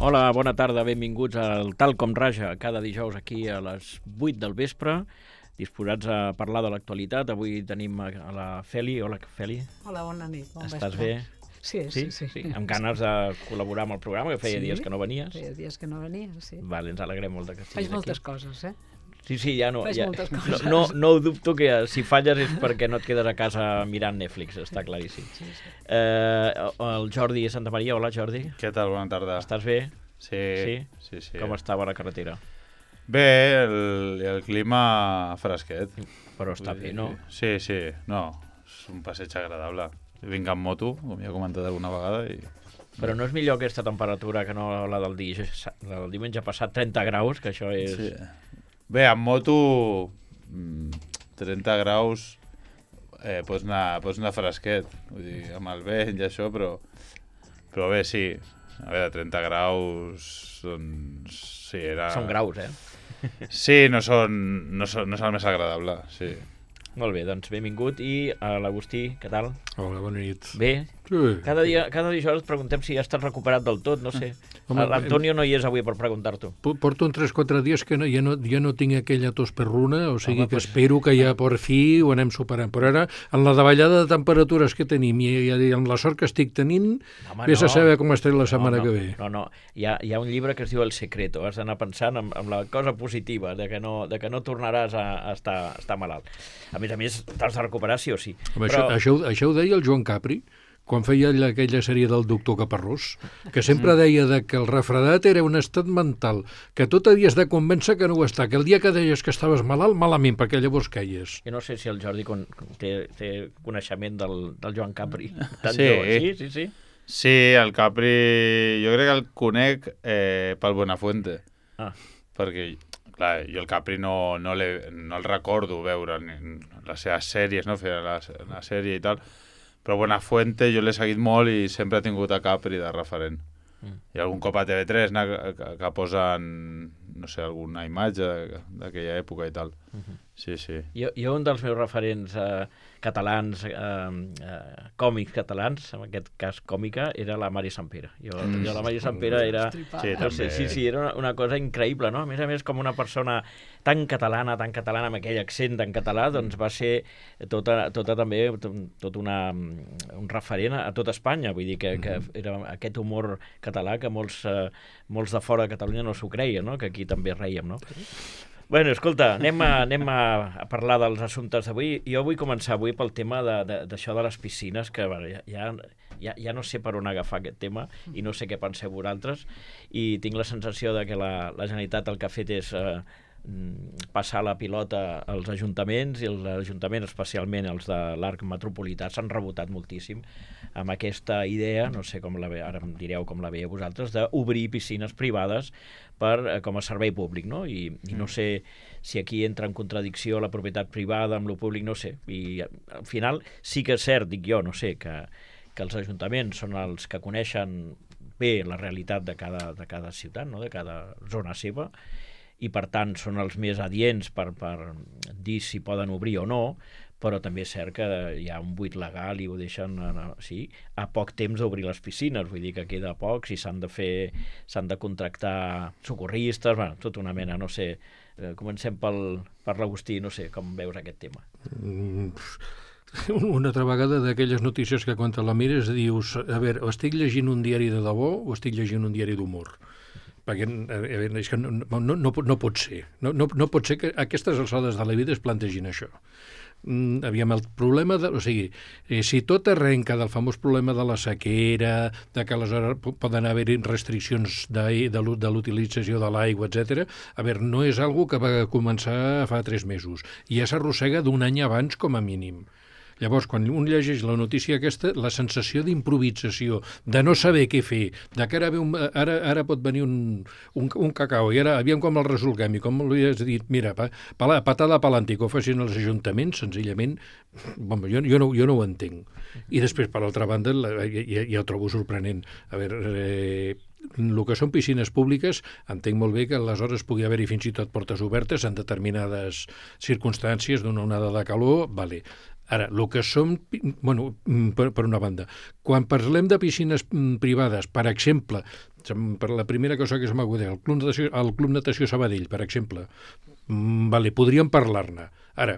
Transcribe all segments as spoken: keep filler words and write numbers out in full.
Hola, bona tarda, benvinguts al Tal com Raja, cada dijous aquí a les vuit del vespre, disposats a parlar de l'actualitat. Avui tenim a la Feli. Hola, Feli. Hola, bona nit, bon vespre. Estàs bé? Sí, sí, sí. sí. Amb ganes de col·laborar amb el programa, que feia sí, dies que no venies. feia dies que no venies, sí. Vale, ens alegrem molt que estiguis Faig aquí. moltes coses, eh? Sí, sí, ja no... Faig ja, moltes coses. No, no, no ho dubto que si falles és perquè no et quedes a casa mirant Netflix, està claríssim. Sí, sí. Eh, el Jordi Santa Maria. Hola, Jordi. Què tal? Bona tarda. Estàs bé? Sí, Sí? sí, sí. Com estava la carretera? Bé, el, el clima fresquet. Però està bé, no? Sí, sí, no, és un passeig agradable. Vinc amb moto, com ja he comentat alguna vegada, i... Però no és millor aquesta temperatura que no la del, di... del diumenge passat, trenta graus, que això és... Sí. Bé, amb moto, trenta graus, eh, pots, anar, pots anar fresquet, vull dir, amb el vent i això, però, però bé, sí. A veure, trenta graus, doncs... Sí, era... Són graus, eh? Sí, no, són, no, són, no és el més agradable, sí. Molt bé, doncs benvingut. I a l'Agustí, què tal? Hola, bona nit. Bé? Sí. Cada dia, cada dijous et preguntem si ja estàs recuperat del tot, no sé. Home, L'Antonio no hi és avui per preguntar-t'ho. Po- Porto uns tres quatre dies que no, ja, no, ja no tinc aquella tos perruna, o sigui Home, que pues- espero que ja per fi ho anem superant. Però ara, en la davallada de temperatures que tenim i, i amb la sort que estic tenint, Home, vés no. a saber com estaré la setmana no, no, que ve. No, no, hi ha, hi ha un llibre que es diu El Secreto. Has d'anar pensant en, en la cosa positiva, de que no, de que no tornaràs a, a, estar, a estar malalt. A més a més, t'has de recuperar sí o sí. Home, això, això, ho- això ho deia el Joan Capri, quan feia alla- aquella sèrie del doctor Caparrós, que sempre deia de que el refredat era un estat mental, que tot havies de convèncer que no ho està, que el dia que deies que estaves malalt, malament, perquè llavors queies. Jo no sé si el Jordi con, té, té coneixement del, del Joan Capri. Tan Sí. jove. Sí, sí, sí. Sí, el Capri, jo crec que el conec eh, pel Buenafuente, Ah, perquè, clar, jo el Capri no, no, no el recordo veure en les seves sèries, no? Fer la, la sèrie i tal, però Buenafuente jo l'he seguit molt i sempre he tingut a Capri de referent. Mm. I algun cop a T V tres no? que, que, que posen, no sé, alguna imatge d'aquella època i tal. Mhm. Sí, sí. Jo, jo un dels meus referents eh, catalans, eh, eh, còmics catalans, en aquest cas còmica, era la Mari Sampere. Jo, Mm. jo la Mari Sampere era... Estripar. Sí, No sé, també. sí, sí, era una, una cosa increïble, no? A més a més, com una persona tan catalana, tan catalana, amb aquell accent tan català, doncs va ser tota, tota també tot, tot una, un referent a, a tot Espanya. Vull dir que, que era aquest humor català que molts, eh, molts de fora de Catalunya no s'ho creien, no? Que aquí també reiem, no? Bueno, escolta, anem a, anem a, a parlar dels assumptes d'avui. Jo vull començar avui pel tema de- de- d'això de, de les piscines, que bueno, ja, ja, ja, ja no sé per on agafar aquest tema i no sé què penseu vosaltres, i tinc la sensació de que la, la Generalitat el que ha fet és eh, mm, passar la pilota als ajuntaments, i els ajuntaments, especialment els de l'arc metropolità, s'han rebotat moltíssim amb aquesta idea, no sé com la ve, ara em direu com la veieu vosaltres, d'obrir piscines privades per, eh, com a servei públic, no? I, i no sé si aquí entra en contradicció la propietat privada amb lo públic, no sé. I eh, al final sí que és cert, dic jo, no sé, que, que els ajuntaments són els que coneixen bé la realitat de cada, de cada ciutat, no? De cada zona seva, i per tant són els més adients per, per dir si poden obrir o no, però també és cert que hi ha un buit legal i ho deixen a, sí, a poc temps d'obrir les piscines, vull dir que queda poc, si s'han de fer, s'han de contractar socorristes, bueno, tota una mena, no sé, eh, comencem pel, per l'Agustí, no sé, com veus aquest tema. Mm, Una altra vegada d'aquelles notícies que quan te la mires dius, a veure, o estic llegint un diari de debò o estic llegint un diari d'humor. Perquè a veure, és que no, no, no, pot- no pot ser. No, no, no pot ser que a aquestes alçades de la vida es plantegin això. Mm, aviam, el problema, de, o sigui, eh, si tot arrenca del famós problema de la sequera, de que aleshores po- poden haver restriccions de, de, l'u- de l'utilització de l'aigua, etcètera, a veure, no és algo que va començar fa tres mesos, i ja s'arrossega d'un any abans com a mínim. Llavors, quan un llegeix la notícia aquesta, la sensació d'improvisació, de no saber què fer, de que ara, ve un, ara, ara pot venir un, un, un cacau, i ara aviam com el resolguem, i com li has dit, mira, pa, pa, patada pelante, que ho facin els ajuntaments, senzillament, bon, jo, jo, no, jo no ho entenc. I després, per altra banda, la, ja, ja ho trobo sorprenent. A veure, eh, el que són piscines públiques, entenc molt bé que aleshores pugui haver-hi fins i tot portes obertes en determinades circumstàncies d'una onada de calor, vale. Ara, el que som, bueno, per, per una banda, quan parlem de piscines mm, privades, per exemple, per la primera cosa que se m'acuda, el Club Natació, el Club Natació Sabadell, per exemple, mm, vale, podríem parlar-ne. Ara,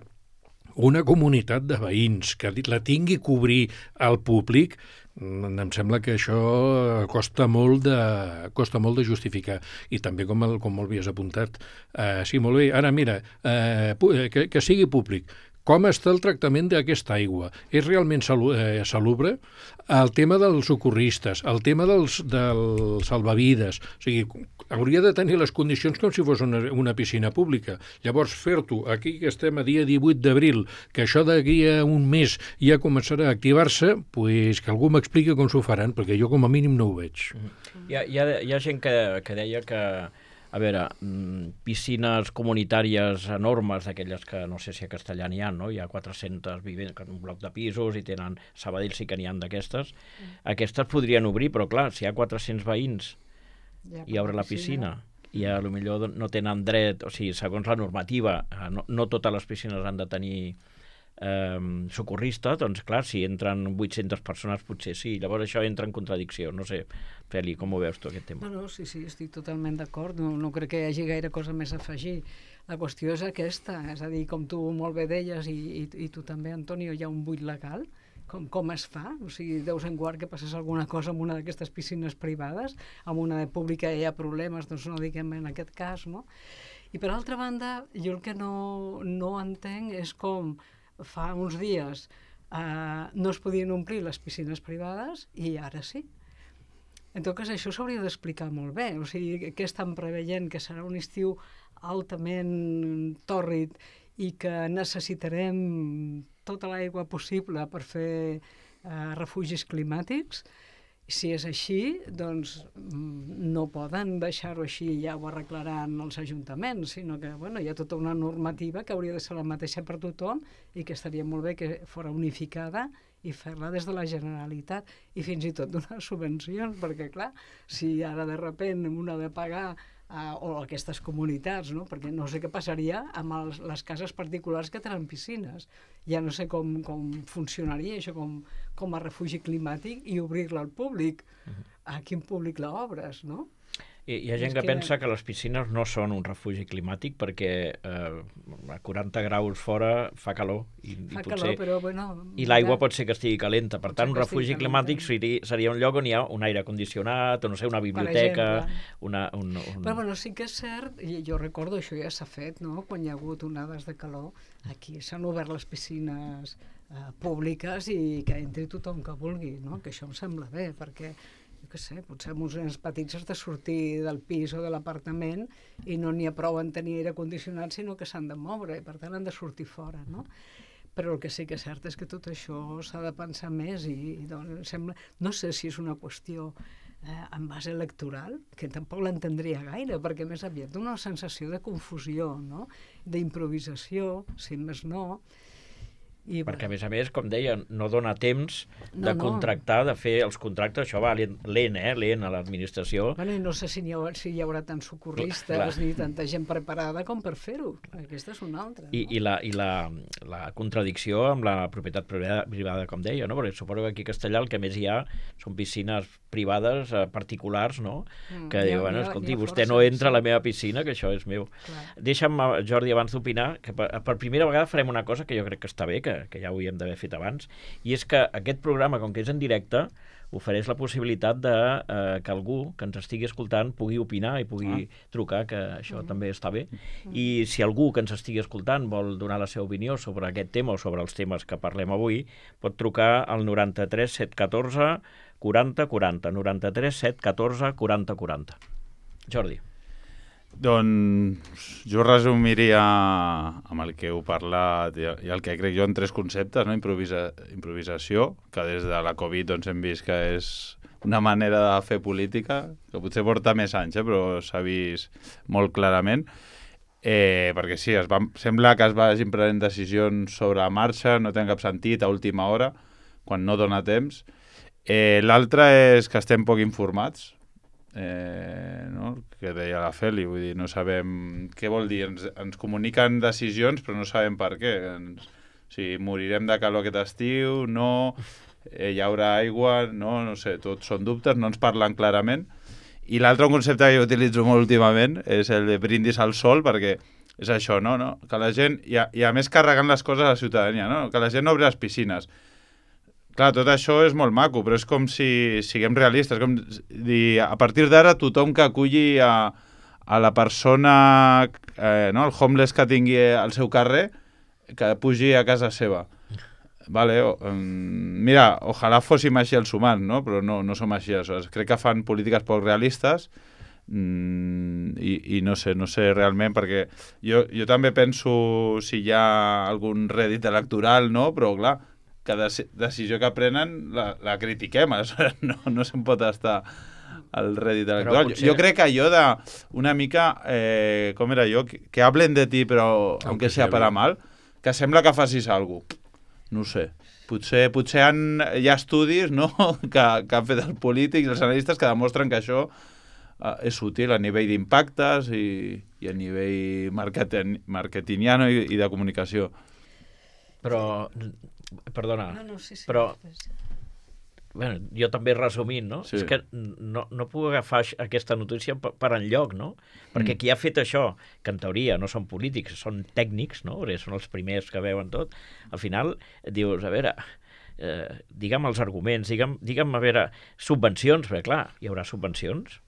una comunitat de veïns que la tingui a cobrir al públic, em sembla que això costa molt de, costa molt de justificar. I també, com, el, com havies apuntat, eh, sí, molt bé, ara mira, eh, que, que sigui públic. Com està el tractament d'aquesta aigua? És realment salu eh, salubre? El tema dels socorristes, el tema dels, dels salvavides, o sigui, hauria de tenir les condicions com si fos una, una piscina pública. Llavors, fer-t'ho, aquí que estem a dia divuit d'abril, que això d'aquí a un mes ja començarà a activar-se, pues que algú m'expliqui com s'ho faran, perquè jo com a mínim no ho veig. Hi ha, hi ha, hi ha gent que, que deia que, a veure, piscines comunitàries enormes, d'aquelles que no sé si a Castellà n'hi ha, no? Hi ha quatre-centes vivents, un bloc de pisos, i tenen, Sabadell sí que n'hi ha d'aquestes. Mm. Aquestes podrien obrir, però clar, si hi ha quatre-cents veïns ja, i obre la piscina, i a lo millor no tenen dret, o sigui, segons la normativa, no, no totes les piscines han de tenir eh, socorrista, doncs clar, si entren vuit-centes persones potser sí, llavors això entra en contradicció, no sé, Feli, com ho veus tu aquest tema? No, no, sí, sí, estic totalment d'acord, no, no crec que hi hagi gaire cosa més a afegir. La qüestió és aquesta, és a dir, com tu molt bé deies, i, i, i tu també, Antonio, hi ha un buit legal, com, com es fa? O sigui, deus en guard que passés alguna cosa en una d'aquestes piscines privades, en una de pública hi ha problemes, doncs no diguem en aquest cas, no? I per altra banda, jo el que no, no entenc és com fa uns dies eh, no es podien omplir les piscines privades i ara sí. En tot cas, això s'hauria d'explicar molt bé. O sigui, què estan preveient? Que serà un estiu altament tòrrid i que necessitarem tota l'aigua possible per fer eh, refugis climàtics? Si és així, doncs no poden deixar-ho així, ja ho arreglaran els ajuntaments, sinó que bueno, hi ha tota una normativa que hauria de ser la mateixa per tothom i que estaria molt bé que fos unificada i fer-la des de la Generalitat i fins i tot donar subvencions, perquè clar, si ara de repent una ha de pagar Uh, o aquestes comunitats, no? Perquè no sé què passaria amb els, les cases particulars que tenen piscines. Ja no sé com, com funcionaria això com, com a refugi climàtic i obrir-la al públic. Uh-huh. A quin públic l'obres, no? I hi ha gent que, que pensa que les piscines no són un refugi climàtic perquè eh, a quaranta graus fora fa calor i, fa i potser calor, però, bueno, i l'aigua pot ser que estigui calenta. Per tant, un refugi climàtic seria, seria un lloc on hi ha un aire condicionat, o no sé, una biblioteca, una, un, un... Però bueno, sí que és cert, i jo recordo, això ja s'ha fet, no? Quan hi ha hagut onades de calor, aquí s'han obert les piscines eh, públiques i que entri tothom que vulgui, no? Que això em sembla bé, perquè jo què sé, potser amb uns nens petits has de sortir del pis o de l'apartament i no n'hi ha prou en tenir aire condicionat, sinó que s'han de moure i per tant han de sortir fora, no? Però el que sí que és cert és que tot això s'ha de pensar més i, i doncs, sembla, no sé si és una qüestió eh, en base electoral, que tampoc l'entendria gaire, perquè més aviat dona una sensació de confusió, no? D'improvisació, si més no. I, perquè, a més a més, com deia, no dona temps no, de no. contractar, de fer els contractes, això va lent, eh, lent a l'administració. Bueno, i no sé si hi haurà, si hi haurà tants socorristes clar, clar. ni tanta gent preparada com per fer-ho. Aquesta és una altra. I, no? i, la, i la, la contradicció amb la propietat privada, privada, com deia, no? Perquè suposo que aquí a Castellà el que més hi ha són piscines privades, eh, particulars, no? Mm, que diu, bueno, escolti, vostè força, no entra sí. a la meva piscina, que això és meu. Clar. Deixa'm, Jordi, abans d'opinar, que per, per primera vegada farem una cosa que jo crec que està bé, que que ja ho havíem d'haver fet abans, i és que aquest programa, com que és en directe, ofereix la possibilitat de eh, que algú que ens estigui escoltant pugui opinar i pugui ah. trucar, que això mm. també està bé. Mm. I si algú que ens estigui escoltant vol donar la seva opinió sobre aquest tema o sobre els temes que parlem avui, pot trucar al noranta-tres set catorze quaranta quaranta, noranta-tres set catorze quaranta quaranta. Jordi. Doncs jo resumiria amb el que heu parlat i el que crec jo en tres conceptes, no? Improvisa, improvisació, que des de la Covid doncs, hem vist que és una manera de fer política, que potser porta més anys, eh? Però s'ha vist molt clarament, eh, perquè sí, es va, sembla que es vagin prenent decisions sobre la marxa, no té cap sentit a última hora, quan no dona temps. Eh, L'altre és que estem poc informats, Eh, no? que deia la Feli, vull dir, no sabem què vol dir, ens, ens comuniquen decisions però no sabem per què, ens, o sigui, morirem de calor aquest estiu, no, eh, hi haurà aigua, no, no sé, tots són dubtes, no ens parlen clarament I l'altre concepte que jo utilitzo molt últimament és el de brindis al sol, perquè és això, no? no? Que la gent, i a, i a més carregant les coses a la ciutadania, no? Que la gent no obri les piscines. Clar, tot això és molt maco, però és com si siguem realistes, com dir, a partir d'ara tothom que aculli a, a la persona, eh, no? El homeless que tingui al seu carrer, que pugi a casa seva. Vale, o, um, mira, ojalà fóssim així els humans, no? Però no, no som així. Aleshores. Crec que fan polítiques poc realistes mm, i, i no sé, no sé realment, perquè jo, jo també penso si hi ha algun rèdit electoral, no? Però clar, cada decisió que prenen la, la critiquem, no, no se'n pot estar al rèdit electoral. Potser... Jo, jo crec que allò de una mica, eh, com era jo, que, que hablen de ti però aunque sea para mal, que sembla que facis alguna cosa. No ho sé. Potser, potser han, hi ha estudis, no? que, que han fet els polítics, els analistes, que demostren que això eh, és útil a nivell d'impactes i, i a nivell marketing, marketingiano i, i de comunicació. Però, perdona, No, no, sí, sí, però, després. bueno, jo també resumint, no? Sí. És que no, no puc agafar aix- aquesta notícia per, per enlloc, no? Perquè Mm. qui ha fet això, que en teoria no són polítics, són tècnics, no? Perquè són els primers que veuen tot, al final dius, a veure, eh, digue'm els arguments, digue'm, digue'm, a veure, subvencions, perquè clar, hi haurà subvencions,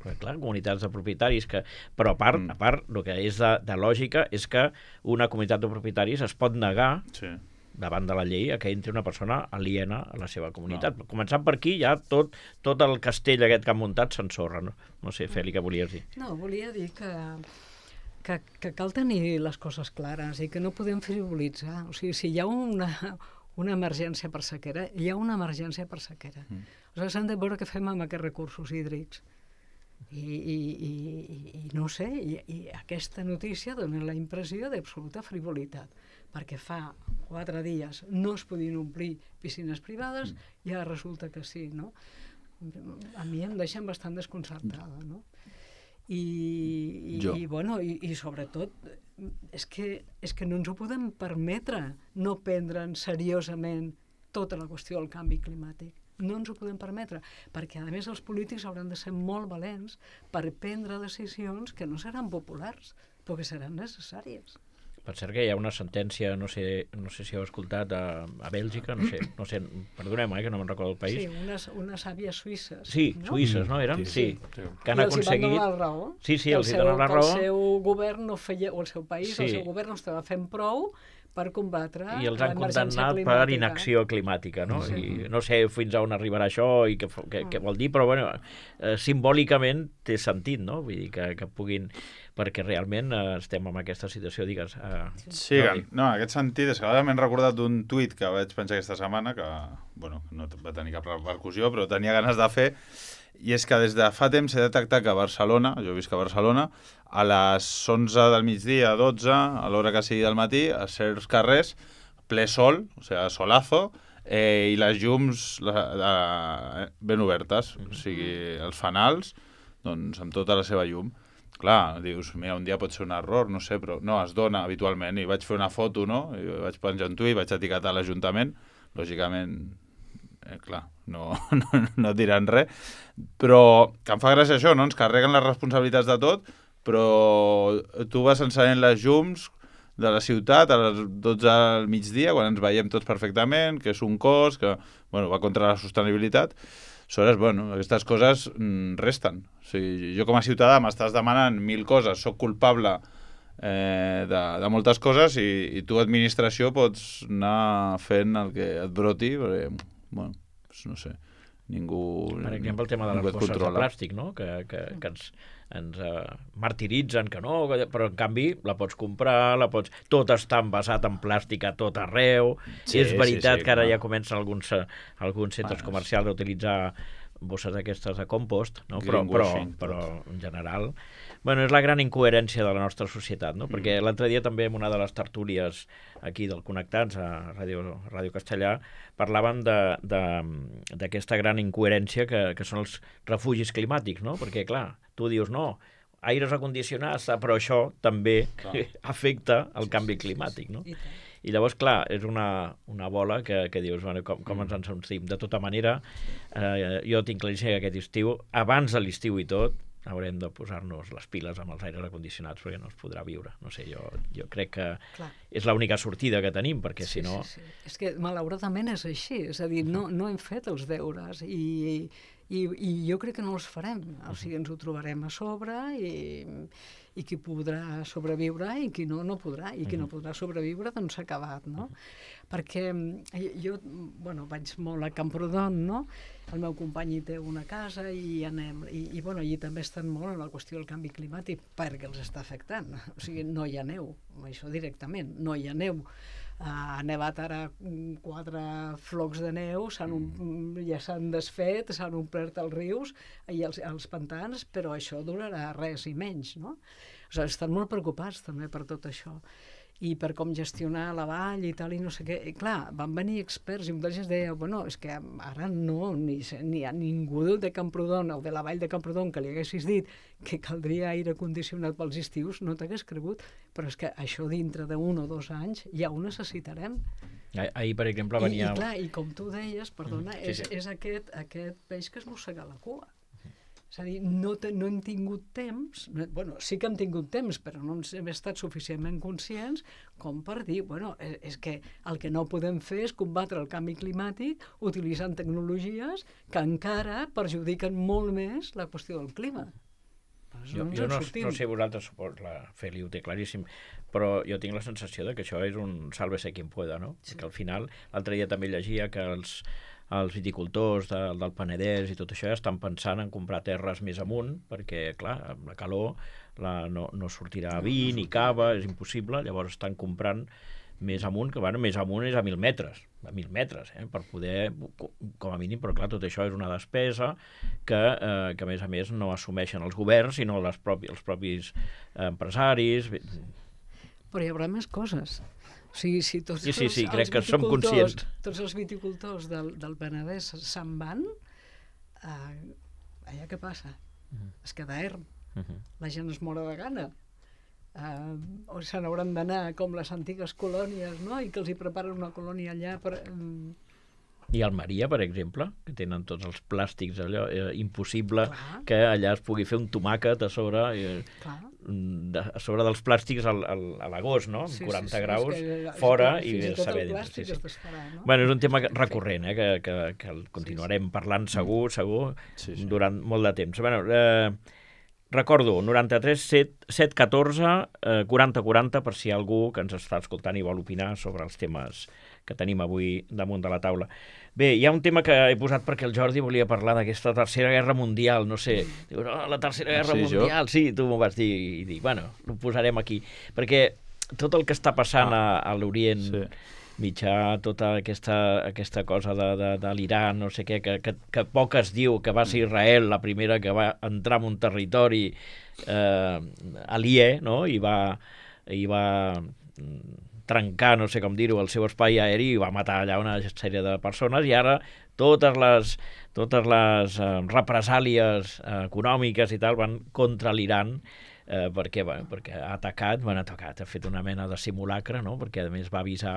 perquè clar, comunitats de propietaris que... Però a part, Mm. a part, el que és de, de lògica és que una comunitat de propietaris es pot negar Sí. davant de la llei a que entri una persona aliena a la seva comunitat. No. Començant per aquí, ja tot, tot el castell aquest que han muntat s'ensorra. No? no sé, Feli, què volies dir? No, volia dir que, que, que cal tenir les coses clares i que no podem frivolitzar. O sigui, si hi ha una, una emergència per sequera, hi ha una emergència per sequera. Mm. Aleshores, hem de veure què fem amb aquests recursos hídrics. I, i, i, i no sé, i, i aquesta notícia dona la impressió d'absoluta frivolitat, perquè fa quatre dies no es podien omplir piscines privades i ara resulta que sí, no? A mi em deixen bastant desconcertada, no? I, i, Jo. i, bueno, i, i sobretot és que, és que no ens ho podem permetre no prendre'n seriosament tota la qüestió del canvi climàtic. No ens ho podem permetre, perquè a més els polítics hauran de ser molt valents per prendre decisions que no seran populars, però que seran necessàries. Per cert que hi ha una sentència, no sé, no sé si heu escoltat, a, a Bèlgica, no sé, no sé, perdoneu, eh, que no me'n recordo el país. Sí, unes, unes àvies suïsses. Sí, no? suïsses, no, eren? Sí, Sí, sí. que han I els hi van aconseguit... donar la raó. Sí, sí, que els hi seu- donen la que raó. El seu govern no feia, o el seu país, Sí. el seu govern no estava fent prou per combatre I els han l'emergència condemnat per climàtica. inacció climàtica, no? Sí. I no sé fins a on arribarà això i què, fo- què, què vol dir, però bueno, eh, simbòlicament té sentit, no? Vull dir que, que puguin... perquè realment eh, estem en aquesta situació, digues... Eh, Sí, que, no, en aquest sentit, és que ara m'he recordat d'un tuit que vaig penjar aquesta setmana, que, bueno, no va tenir cap repercussió, però tenia ganes de fer, i és que des de fa temps he detectat que a Barcelona, jo visc a Barcelona, a les onze del migdia, dotze, a l'hora que sigui del matí, a certs carrers, ple sol, o sigui, solazo, eh, i les llums la, la, ben obertes, o sigui, els fanals, doncs amb tota la seva llum. Clar, dius, mira, un dia pot ser un error, no sé, però no, es dona habitualment. I vaig fer una foto, no? I vaig penjar un tuit, vaig etiquetar l'Ajuntament. Lògicament, eh, clar, no, no, no diran res. Però que em fa gràcia això, no? Ens carreguen les responsabilitats de tot, però tu vas encenent les llums de la ciutat a les dotze del migdia, quan ens veiem tots perfectament, que és un cos, que bueno, va contra la sostenibilitat. Aleshores, bueno, aquestes coses mm, resten. O sigui, jo com a ciutadà m'estàs demanant mil coses, sóc culpable eh, de, de moltes coses i, i tu, administració, pots anar fent el que et broti, perquè, bueno, doncs no sé, ningú... per exemple, el tema de ningú les et bosses de controla. plàstic, no? Que, que, que ens, ens uh, martiritzen, que no, que, però en canvi la pots comprar, la pots... tot està envasat en plàstic a tot arreu. Sí, És veritat sí, sí, que ara clar. ja comencen alguns, uh, alguns centres Bueno, comercials a utilitzar bosses aquestes de compost, no? però, però, Greenwashing, però en general... Bueno, és la gran incoherència de la nostra societat, no? Perquè Mm. l'altre dia també en una de les tertúlies aquí del Connectats, a Ràdio, Ràdio Castellà, parlaven de- de- d'aquesta gran incoherència que, que són els refugis climàtics, no? Perquè, clar, tu dius, no, aires acondicionats, però això també Clar. afecta el canvi climàtic, no? I tant. I llavors, clar, és una, una bola que, que dius, bueno, com, com ens en sortim. De tota manera, eh, jo tinc claríssim que aquest estiu, abans de l'estiu i tot, haurem de posar-nos les piles amb els aires acondicionats perquè no es podrà viure. No sé, jo, jo crec que Clar. és l'única sortida que tenim, perquè sí, si no... Sí, sí. És que malauradament és així, és a dir, no, no hem fet els deures i, i, i jo crec que no els farem. O sigui, ens ho trobarem a sobre i, i qui podrà sobreviure i qui no, no podrà. I qui no podrà sobreviure, doncs s'ha acabat, no? Perquè jo, bueno, vaig molt a Camprodon, no? El meu company hi té una casa i anem, i, i bueno, allí també estan molt en la qüestió del canvi climàtic perquè els està afectant. O sigui, no hi ha neu, això directament, no hi ha neu. Uh, ha nevat ara quatre flocs de neu, um, ja s'han desfet, s'han omplert els rius i els, els pantans, però això durarà res i menys, no? O sigui, estan molt preocupats també per tot això i per com gestionar la vall i tal, i no sé què. I clar, van venir experts i un d'ells deia, bueno, és que ara no, ni, ni a ningú de Camprodon o de la vall de Camprodon que li haguessis dit que caldria aire condicionat pels estius, no t'hagués cregut, però és que això dintre d'un o dos anys ja ho necessitarem. Ahir, per exemple, venia... I, i clar, i com tu deies, perdona, mm, sí, sí. és, és aquest, aquest peix que es mossega la cua. És a dir, no, te, no hem tingut temps, no, bueno, sí que hem tingut temps, però no hem estat suficientment conscients com per dir, bueno, és, és que el que no podem fer és combatre el canvi climàtic utilitzant tecnologies que encara perjudiquen molt més la qüestió del clima. Jo, jo no, no sé vosaltres, la Feli ho té claríssim, però jo tinc la sensació de que això és un sálvese quien pueda, no? Sí. Que al final, l'altre dia també llegia que els els viticultors de, del Penedès i tot això ja estan pensant en comprar terres més amunt, perquè, clar, amb la calor la, no, no sortirà vi ni cava, és impossible, llavors estan comprant més amunt, que bueno, més amunt és a mil metres, a mil metres, eh, per poder, com a mínim, però clar, tot això és una despesa que, eh, que a més a més no assumeixen els governs, sinó les propi, els propis eh, empresaris. Però hi haurà més coses. O sigui, si tots sí, sí, sí, els, crec els que som conscients. Tots els viticultors del, del Penedès se'n van, eh, allà què passa? Uh-huh. Es queda erm. Uh-huh. La gent es mora de gana. Uh, o se n'hauran d'anar com les antigues colònies, no? I que els hi preparen una colònia allà per... Um... I Almeria, per exemple, que tenen tots els plàstics allò, eh, impossible Clar. que allà es pugui fer un tomàquet a sobre, eh, de, a sobre dels plàstics al, al, a l'agost, no? Sí, quaranta sí, sí, graus que, fora i, i saber dintre. Sí, sí. No? Bueno, és un tema recurrent, eh, que, que, que el continuarem sí, sí. parlant segur, segur, sí, sí. durant molt de temps. Bueno, eh, recordo, noranta-tres set set catorze eh, quaranta quaranta, per si hi ha algú que ens està escoltant i vol opinar sobre els temes que tenim avui damunt de la taula. Bé, hi ha un tema que he posat perquè el Jordi volia parlar d'aquesta tercera guerra mundial, no sé, diu, no, la tercera guerra sí, mundial, jo? Sí, tu m'ho vas dir, i dic, bueno, ho posarem aquí, perquè tot el que està passant ah, a, a l'Orient sí. Mitjà, tota aquesta, aquesta cosa de, de, de l'Iran, no sé què, que, que, que poc es diu que va ser Israel la primera que va entrar en un territori eh, aliè, no?, i va... I va trencar, no sé com dir-ho, el seu espai aeri i va matar allà una sèrie de persones i ara totes les, totes les eh, represàlies eh, econòmiques i tal van contra l'Iran eh, perquè, bueno, perquè ha atacat, bueno, ha atacat, ha fet una mena de simulacre, no? Perquè a més va avisar,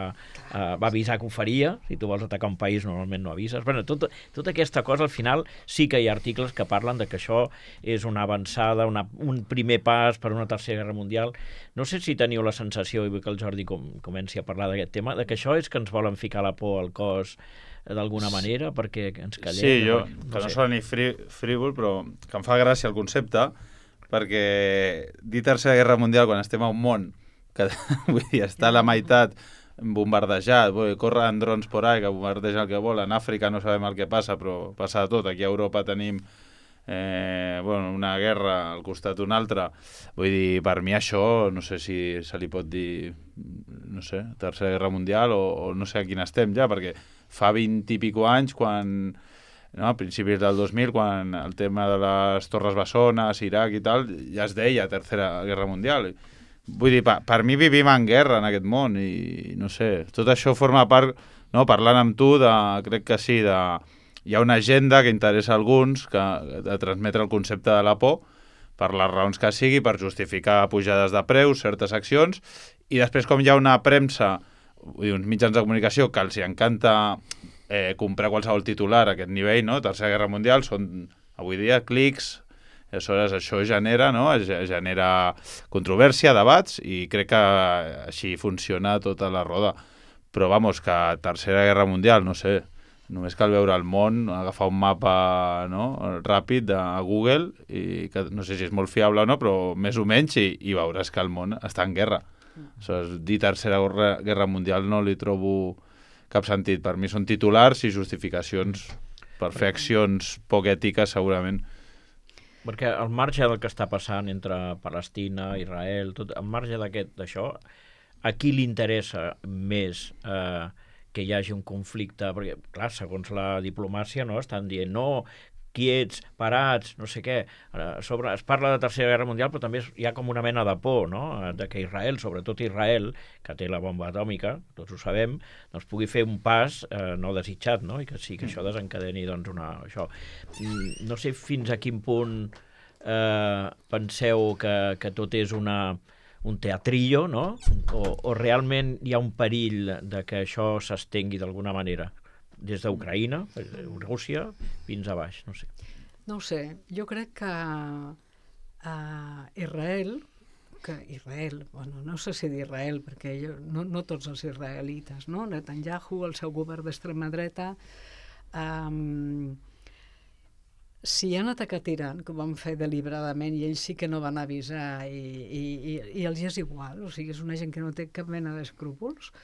eh, va avisar que ho faria, si tu vols atacar un país normalment no avises. Bueno, tot, tota aquesta cosa al final sí que hi ha articles que parlen de que això és una avançada, una, un primer pas per a una tercera guerra mundial. No sé si teniu la sensació, i vull que el Jordi com, comenci a parlar d'aquest tema, de que això és que ens volen ficar la por al cos d'alguna manera perquè ens callem. Sí, jo, no, que no no sé. sona ni frí, frívol, però que em fa gràcia el concepte, perquè dir tercera guerra mundial quan estem a un món que vull dir, està a la meitat bombardejat, vull dir, corren drons por ahí que bombardegen el que volen, en Àfrica no sabem el que passa, però passa de tot, aquí a Europa tenim eh, bueno, una guerra al costat d'un altre, vull dir, per mi això no sé si se li pot dir, no sé, tercera guerra mundial o, o no sé a quin estem ja, perquè fa vint i pico anys quan... No, a principis del dos mil, quan el tema de les Torres Bessones, Iraq i tal, ja es deia Tercera Guerra Mundial. Vull dir, per, per mi vivim en guerra en aquest món i no sé, tot això forma part, no, parlant amb tu, de, crec que sí, de, hi ha una agenda que interessa a alguns que, de transmetre el concepte de la por per les raons que sigui, per justificar pujades de preus, certes accions, i després com hi ha una premsa vull dir, uns mitjans de comunicació que els hi encanta eh, comprar qualsevol titular a aquest nivell, no? Tercera Guerra Mundial, són avui dia clics, aleshores això genera, no? genera controvèrsia, debats, i crec que així funciona tota la roda. Però, vamos, que Tercera Guerra Mundial, no sé, només cal veure el món, agafar un mapa, no? ràpid de Google, i que no sé si és molt fiable o no, però més o menys, i, i veuràs que el món està en guerra. Aleshores, dir Tercera Guerra Mundial no li trobo cap sentit. Per mi són titulars i justificacions per fer accions poc ètiques, segurament. Perquè al marge del que està passant entre Palestina, Israel, tot, al marge d'aquest d'això, a qui li interessa més eh, que hi hagi un conflicte? Perquè, clar, segons la diplomàcia, no, estan dient no, quiets, parats, no sé què. A sobre es parla de Tercera Guerra Mundial, però també hi ha com una mena de por, no?, de que Israel, sobretot Israel, que té la bomba atòmica, tots ho sabem, doncs pugui fer un pas eh, no desitjat, no?, i que sí, que això desencadeni, doncs, una... Això. No sé fins a quin punt eh, penseu que, que tot és una, un teatrillo, no?, o, o realment hi ha un perill de que això s'estengui d'alguna manera, des d'Ucraïna, Rússia, fins a baix, no sé. No ho sé, jo crec que uh, Israel, que Israel, bueno, no sé si d'Israel, perquè jo, no, no tots els israelites, no? Netanyahu, el seu govern d'extrema dreta, um, si han atacat Iran, que ho van fer deliberadament, i ells sí que no van avisar, i, i, i, i els és igual, o sigui, és una gent que no té cap mena d'escrúpols,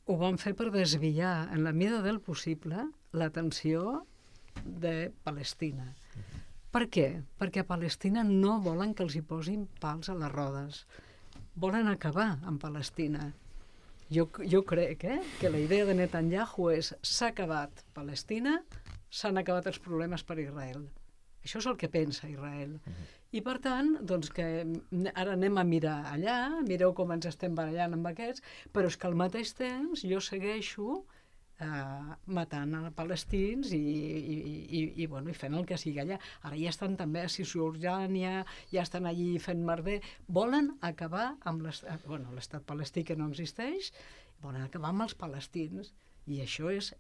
ho van fer per desviar, en la mida del possible, l'atenció de Palestina. Per què? Perquè a Palestina no volen que els hi posin pals a les rodes. Volen acabar amb Palestina. Jo, jo crec eh, que la idea de Netanyahu és s'ha acabat Palestina, s'han acabat els problemes per Israel. Això és el que pensa Israel. Uh-huh. I per tant, doncs que ara anem a mirar allà, mireu com ens estem barallant amb aquests, però és que al mateix temps jo segueixo eh, matant a palestins i, i, i, i, bueno, i fent el que sigui allà. Ara ja estan també a Cisjordània, ja estan allí fent merder. Volen acabar amb l'estat, bueno, l'estat palestí que no existeix, volen acabar amb els palestins. I això és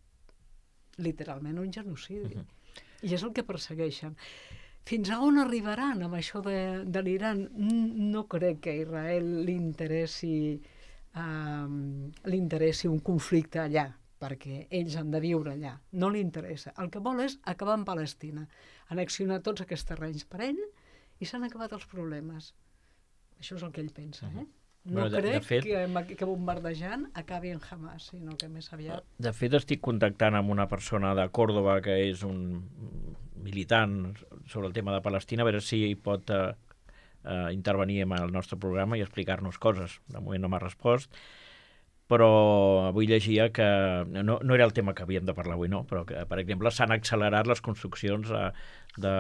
literalment un genocidi. Uh-huh. I és el que persegueixen. Fins a on arribaran amb això de, de l'Iran? No crec que a Israel li interessi, um, li interessi un conflicte allà, perquè ells han de viure allà. No li interessa. El que vol és acabar amb Palestina, annexionar tots aquests terrenys per ell, i s'han acabat els problemes. Això és el que ell pensa, eh? No bueno, de, crec de fet, que, que bombardejant acabi en Hamas, sinó que més aviat... De fet, estic contactant amb una persona de Còrdova que és un militant sobre el tema de Palestina, a veure si pot eh, eh, intervenir en el nostre programa i explicar-nos coses. De moment no m'ha respost, però avui llegia que... No, no era el tema que havíem de parlar avui, no, però que, per exemple, s'han accelerat les construccions eh, de,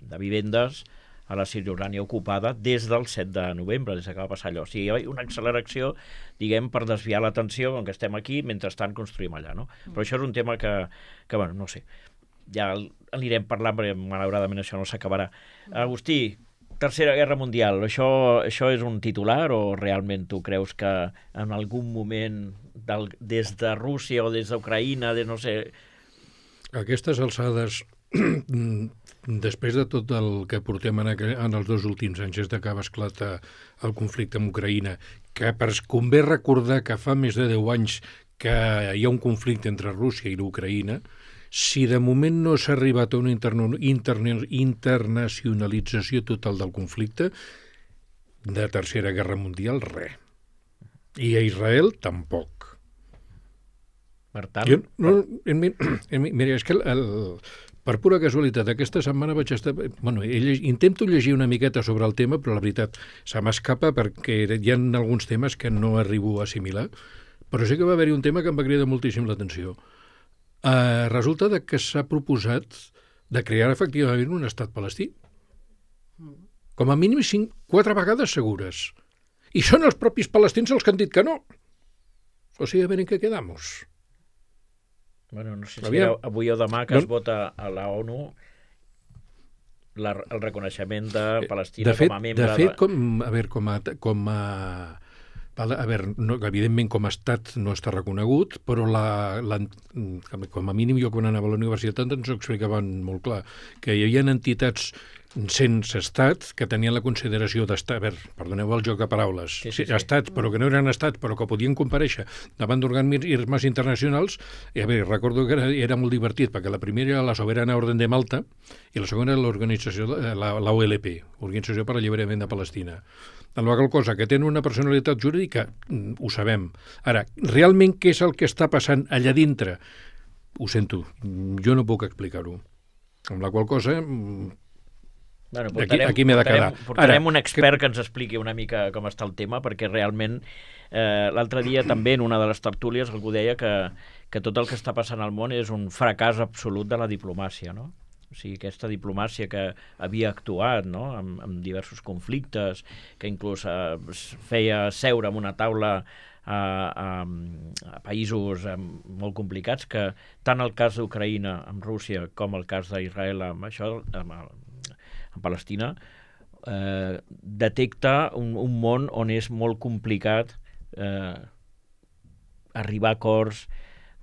de vivendes a la Cisjordània ocupada des del set de novembre, des que va passar allò. O sigui, hi ha una acceleració, diguem, per desviar l'atenció, com que estem aquí, mentrestant construïm allà, no? Però això és un tema que, que bueno, no sé, ja anirem parlant, perquè malauradament això no s'acabarà. Agustí, Tercera Guerra Mundial, això, això és un titular o realment tu creus que en algun moment, del, des de Rússia o des d'Ucraïna, de no sé... A aquestes alçades... Després de tot el que portem en, aqu en els dos últims anys, des que va esclatar el conflicte amb Ucraïna, que per convé recordar que fa més de deu anys que hi ha un conflicte entre Rússia i l'Ucraïna, si de moment no s'ha arribat a una interna interna internacionalització total del conflicte, de Tercera Guerra Mundial, res. I a Israel, tampoc. Per tant... Jo, no, mira, és que el, el per pura casualitat, aquesta setmana vaig estar... Bueno, intento llegir una miqueta sobre el tema, però la veritat se m'escapa perquè hi ha alguns temes que no arribo a assimilar, però sí que va haver-hi un tema que em va cridar moltíssim l'atenció. Uh, resulta que s'ha proposat de crear efectivament un estat palestí. Com a mínim cinc, quatre vegades segures. I són els propis palestins els que han dit que no. O sigui, a veure en què quedamos. Bueno, no sé si era avui o demà que no. Es vota a la ONU la, el reconeixement de Palestina de fet, com a membre... De fet, com, a veure, com a, com a A veure, no, evidentment com a estat no està reconegut, però la, la, com a mínim jo quan anava a la universitat ens ho explicaven molt clar, que hi havia entitats sense estat que tenien la consideració d'estat, a veure, perdoneu el joc de paraules, sí, sí, sí. estats, però que no eren estats, però que podien comparèixer davant d'organismes internacionals, i a veure, recordo que era, era molt divertit, perquè la primera era la Soberana Orden de Malta i la segona era l'organització, la, la O L P, Organització per l'Alliberament de Palestina. En la qual cosa, que tenen una personalitat jurídica, ho sabem. Ara, realment què és el que està passant allà dintre? Ho sento, jo no puc explicar-ho. Amb la qual cosa... Bueno, portarem, aquí aquí m'he de quedar. Portarem, portarem Ara, un expert que... que ens expliqui una mica com està el tema, perquè realment eh, l'altre dia també en una de les tertúlies algú deia que, que tot el que està passant al món és un fracàs absolut de la diplomàcia, no? O sigui, aquesta diplomàcia que havia actuat, no?, amb, amb diversos conflictes, que inclús eh, feia seure en una taula a, a, a països eh, molt complicats, que tant el cas d'Ucraïna amb Rússia com el cas d'Israel amb això, amb, amb Palestina, eh, detecta un, un món on és molt complicat eh, arribar a acords.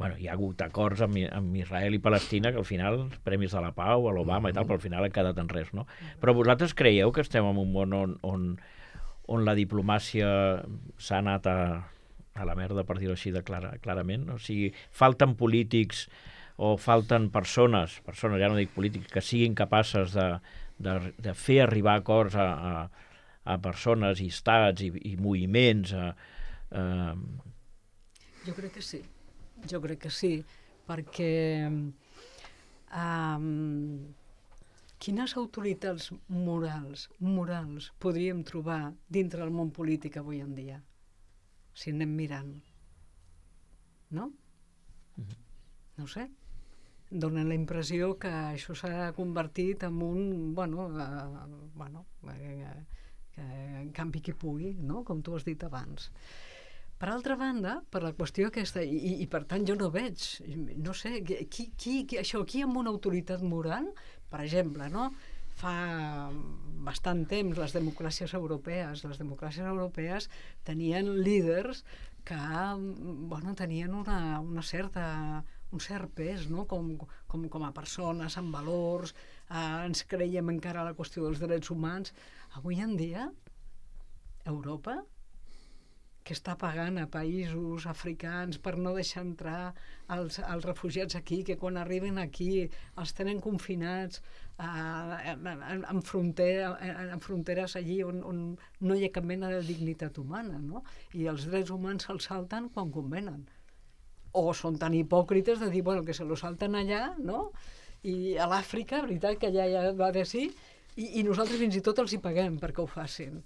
Bueno, hi ha hagut acords amb, amb Israel i Palestina que al final, els Premis de la Pau, a l'Obama i tal, però al final han quedat en res, no? Però vosaltres creieu que estem en un món on, on, on la diplomàcia s'ha anat a, a la merda, per dir-ho així de clara, clarament? O sigui, falten polítics o falten persones, persones, ja no dic polítics, que siguin capaces de, de, de fer arribar acords a, a, a persones i estats i, i moviments. A, a... Jo crec que sí. Jo crec que sí, perquè um, quines autoritats morals, morals podríem trobar dintre del món polític avui en dia? Si anem mirant. No? No ho sé. Dóna la impressió que això s'ha convertit en un, bueno, uh, bueno uh, uh, campi qui pugui, no? Com tu has dit abans. Per altra banda, per la qüestió aquesta, i, i per tant jo no veig, no sé, qui, qui, qui, això, qui amb una autoritat moral, per exemple, no? Fa bastant temps les democràcies europees, les democràcies europees tenien líders que, bueno, tenien una, una certa, un cert pes, no? Com, com, com a persones, amb valors, eh, ens creiem encara la qüestió dels drets humans. Avui en dia, Europa, que està pagant a països africans per no deixar entrar els, els refugiats aquí, que quan arriben aquí els tenen confinats eh, en, en, frontera, en, en fronteres allí on, on no hi ha cap mena de dignitat humana, no? I els drets humans se'ls salten quan convenen. O són tan hipòcrites de dir, bueno, que se lo salten allà, no? I a l'Àfrica, veritat, que allà ja va de sí, i, i nosaltres fins i tot els hi paguem perquè ho facin.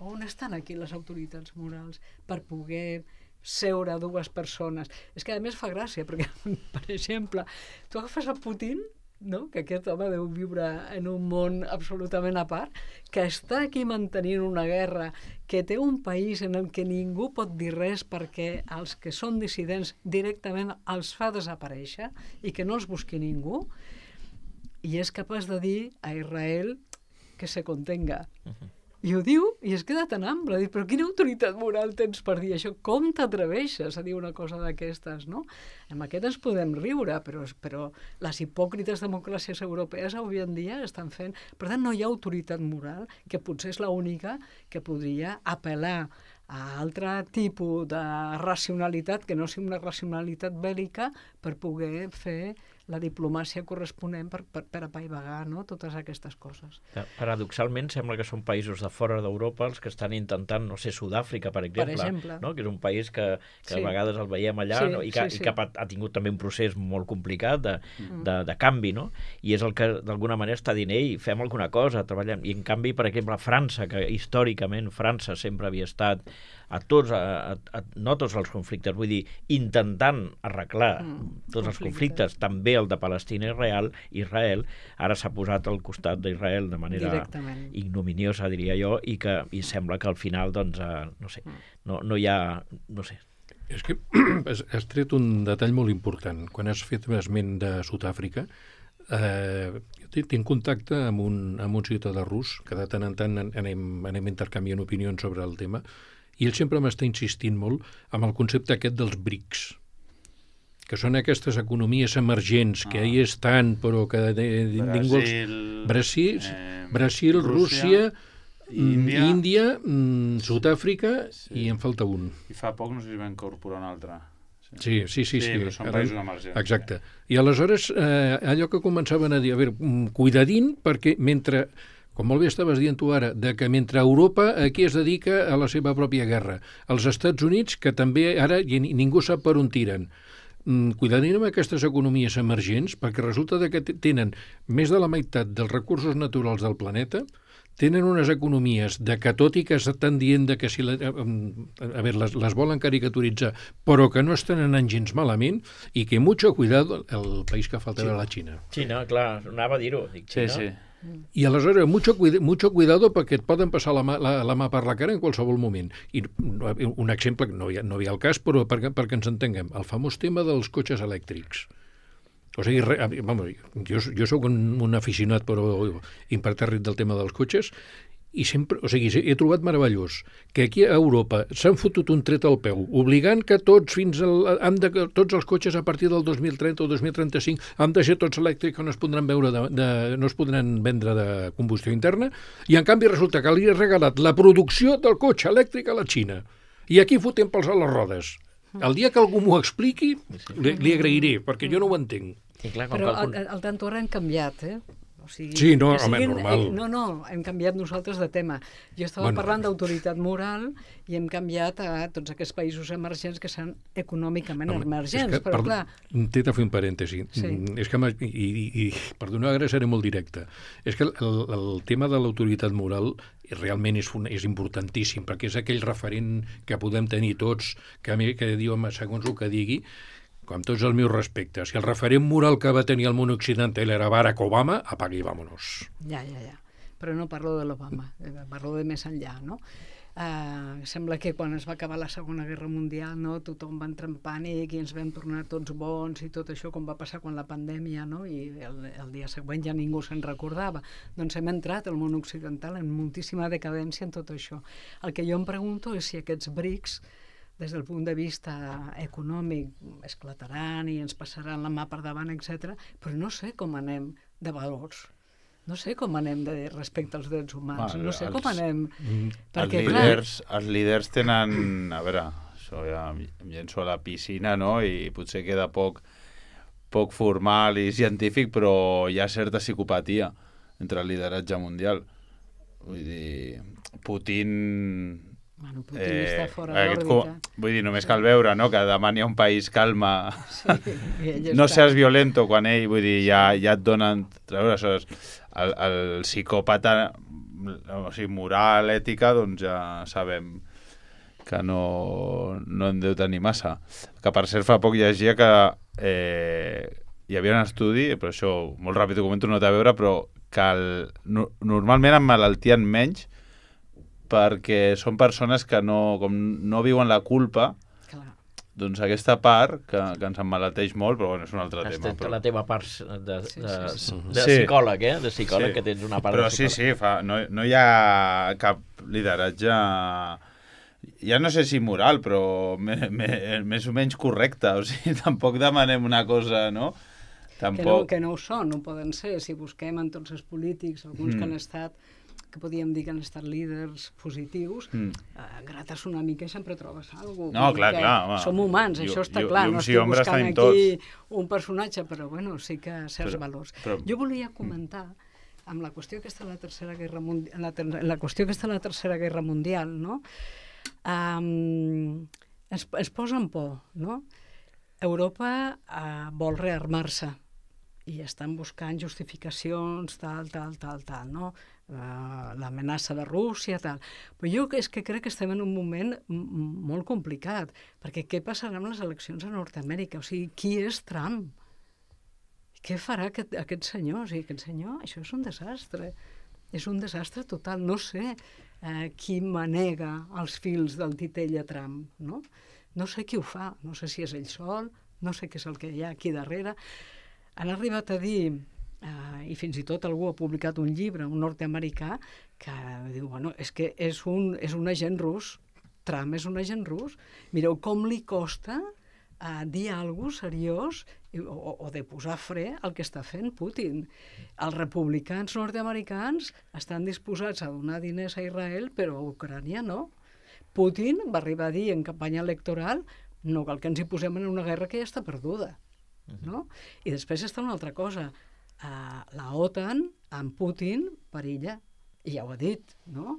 On estan aquí les autoritats morals per poder seure dues persones? És que a més fa gràcia, perquè, per exemple, tu agafes a Putin, no? Que aquest home deu viure en un món absolutament a part, que està aquí mantenint una guerra, que té un país en el que ningú pot dir res perquè els que són dissidents directament els fa desaparèixer i que no els busqui ningú, i és capaç de dir a Israel que se contenga. Uh-huh. I ho diu, i es queda tan ample, diu, però quina autoritat moral tens per dir això? Com t'atreveixes a dir una cosa d'aquestes, no? Amb aquest ens podem riure, però, però les hipòcrites democràcies europees avui en dia estan fent... Per tant, no hi ha autoritat moral, que potser és l'única que podria apel·lar a altre tipus de racionalitat, que no sigui una racionalitat bèl·lica, per poder fer la diplomàcia corresponent per, per, per apaivagar, no?, totes aquestes coses. Paradoxalment, sembla que són països de fora d'Europa els que estan intentant, no sé, Sud-àfrica, per exemple, per exemple. No?, que és un país que, que sí. a vegades el veiem allà, sí, no? I que, sí, sí. i que ha, ha tingut també un procés molt complicat de, mm. de, de canvi, no? I és el que d'alguna manera està dient, ei, fem alguna cosa, treballem. I en canvi, per exemple, França, que històricament França sempre havia estat a tots, a, a, no tots els conflictes, vull dir, intentant arreglar mm, tots els conflictes, també el de Palestina i Israel, Israel ara s'ha posat al costat d'Israel de manera ignominiosa, diria jo, i que i sembla que al final, doncs, eh, no sé, no, no hi ha, no sé. És que has tret un detall molt important. Quan has fet esment de Sud-àfrica, eh, tinc contacte amb un, amb un ciutadà rus, que de tant en tant anem, anem intercanviant opinions sobre el tema, I ell sempre m'està insistint molt amb el concepte aquest dels brics, que són aquestes economies emergents, que Ah. ahí estan, però que de, de, ningú... els- Brasil, Brasil, eh, Brasil, Rússia, Índia, Índia, Índia mm, Sud-àfrica Sí. i en falta un. i fa poc no sé si va incorporar un altre. Sí, sí, sí. sí. però són Ara- països emergents. Exacte. I aleshores, eh, allò que començaven a dir, a veure, mm, cuidadín, perquè mentre, com molt bé estaves dient tu ara, de que mentre Europa aquí es dedica a la seva pròpia guerra, els Estats Units, que també ara i ni- ningú sap per on tiren, mm, cuidadín amb aquestes economies emergents, perquè resulta de que t- tenen més de la meitat dels recursos naturals del planeta, tenen unes economies de que tot i que estan dient de que si la, a, a veure, les, les volen caricaturitzar, però que no estan anant gens malament i que mucho cuidado el país que falta Sí. era la Xina. Xina, clar, anava a dir-ho. Dic, Sí, Xina. sí. I aleshores, mucho, cuida, mucho cuidado perquè et poden passar la mà, la, la mà per la cara en qualsevol moment. I un exemple, que no hi ha, no hi ha el cas, però perquè, perquè ens entenguem, el famós tema dels cotxes elèctrics. O sigui, re, vamos, jo, jo sóc un, un aficionat però impertèrrit del tema dels cotxes i sempre, o sigui, he trobat meravellós que aquí a Europa s'han fotut un tret al peu, obligant que tots fins al, han de, tots els cotxes a partir del dos mil trenta o dos mil trenta-cinc han de ser tots elèctrics, que no es podran veure de, de, no es podran vendre de combustió interna, i en canvi resulta que li ha regalat la producció del cotxe elèctric a la Xina. I aquí fotem pels a les rodes. El dia que algú m'ho expliqui, li, li agrairé, perquè jo no ho entenc. I clar, com Però calcul... al, al tanto ara hem canviat, eh? O sigui, Sí, no, que home, normal. Eh, no, no, hem canviat nosaltres de tema. Jo estava Bueno. bueno. parlant d'autoritat moral i hem canviat a tots aquests països emergents que són econòmicament Home, emergents, és que, però per- clar... T'he de fer un parèntesi. Sí. Mm, És que, m'ha- i, i, i, perdoneu, ara seré molt directe. És que el, el tema de l'autoritat moral realment és, un, és importantíssim, perquè és aquell referent que podem tenir tots, que, a mi- que diu, home, segons el que digui, amb tots els meus respectes, si el referent moral que va tenir el món occidental era Barack Obama, apaga i vámonos. Ja, ja, ja. Però no parlo de l'Obama, eh, parlo de més enllà, no? Uh, sembla que quan es va acabar la Segona Guerra Mundial, no, tothom va entrar en pànic i ens vam tornar tots bons i tot això, com va passar quan la pandèmia, no? I el, el dia següent ja ningú se'n recordava. Doncs hem entrat al món occidental en moltíssima decadència en tot això. El que jo em pregunto és si aquests brics, des del punt de vista econòmic, esclataran i ens passaran la mà per davant, etcètera, però no sé com anem de valors. No sé com anem de respecte als drets humans, Bueno, no sé els- com anem... Els Perquè, clar, líders, els líders tenen... A veure, això ja em em llenço a la piscina, no? I potser queda poc, poc formal i científic, però hi ha certa psicopatia entre el lideratge mundial. Vull dir, Putin... bueno, Putin eh, està fora aquest d'òrbita. co- Vull dir, només cal veure, no?, que demà n'hi ha un país calma. Sí, i ell No està- seas violento quan ell, vull dir, ja, ja et donen... Aleshores, el, el psicòpata, o sigui, moral, ètica, doncs ja sabem que no, no en deu tenir massa. Que, per cert, fa poc llegia que eh, hi havia un estudi, però això molt ràpid ho comento, no té a veure, però que el, no, normalment emmalaltien menys perquè són persones que no, com no viuen la culpa, Clar. doncs aquesta part, que, que ens emmalalteix molt, però bueno, és un altre Has tema. tret Però, la teva part de, Sí, de, sí, sí. de Sí. psicòleg, eh? De psicòleg, Sí. que tens una part però de sí, psicòleg. sí, fa, no, no hi ha cap lideratge, ja no sé si moral, però me, me, més o menys correcte. O sigui, tampoc demanem una cosa, no? Que no, Tampoc... que no ho són, no ho poden ser. Si busquem en tots els polítics, alguns Mm. que han estat, que podríem dir que han estat líders positius, Mm. eh, grates una mica i sempre trobes alguna cosa. No, clar, clar, home. Som humans, Llum- això està llum- clar. No llums i estic ombres buscant tenim aquí tots. un personatge, però bueno, sí que certs Però- valors. però- Jo volia comentar amb la qüestió aquesta de la Tercera Guerra Mundial, la, ter la qüestió aquesta de la Tercera Guerra Mundial, no? Um, es, es posa en por, no? Europa uh, vol rearmar-se i estan buscant justificacions, tal, tal, tal, tal, no? Uh, l'amenaça de Rússia, tal. Però jo és que crec que estem en un moment m- molt complicat, perquè què passarà amb les eleccions a Nord-Amèrica? O sigui, qui és Trump? Què farà aquest, aquest senyor? O sigui, aquest senyor, això és un desastre. És un desastre total. No sé eh, qui manega els fils del titell a Trump, no? No sé qui ho fa, no sé si és ell sol, no sé què és el que hi ha aquí darrere. Han arribat a dir, eh, i fins i tot algú ha publicat un llibre, un nord-americà, que diu, bueno, és que és un, és un agent rus, Trump és un agent rus. Mireu com li costa a dir alguna cosa seriós o, o de posar fre al que està fent Putin. Els republicans nord-americans estan disposats a donar diners a Israel, però a Ucrània no. Putin va arribar a dir en campanya electoral no cal que ens hi posem en una guerra que ja està perduda. No? I després està una altra cosa. Uh, la OTAN, amb Putin, perilla. I ja ho ha dit, no?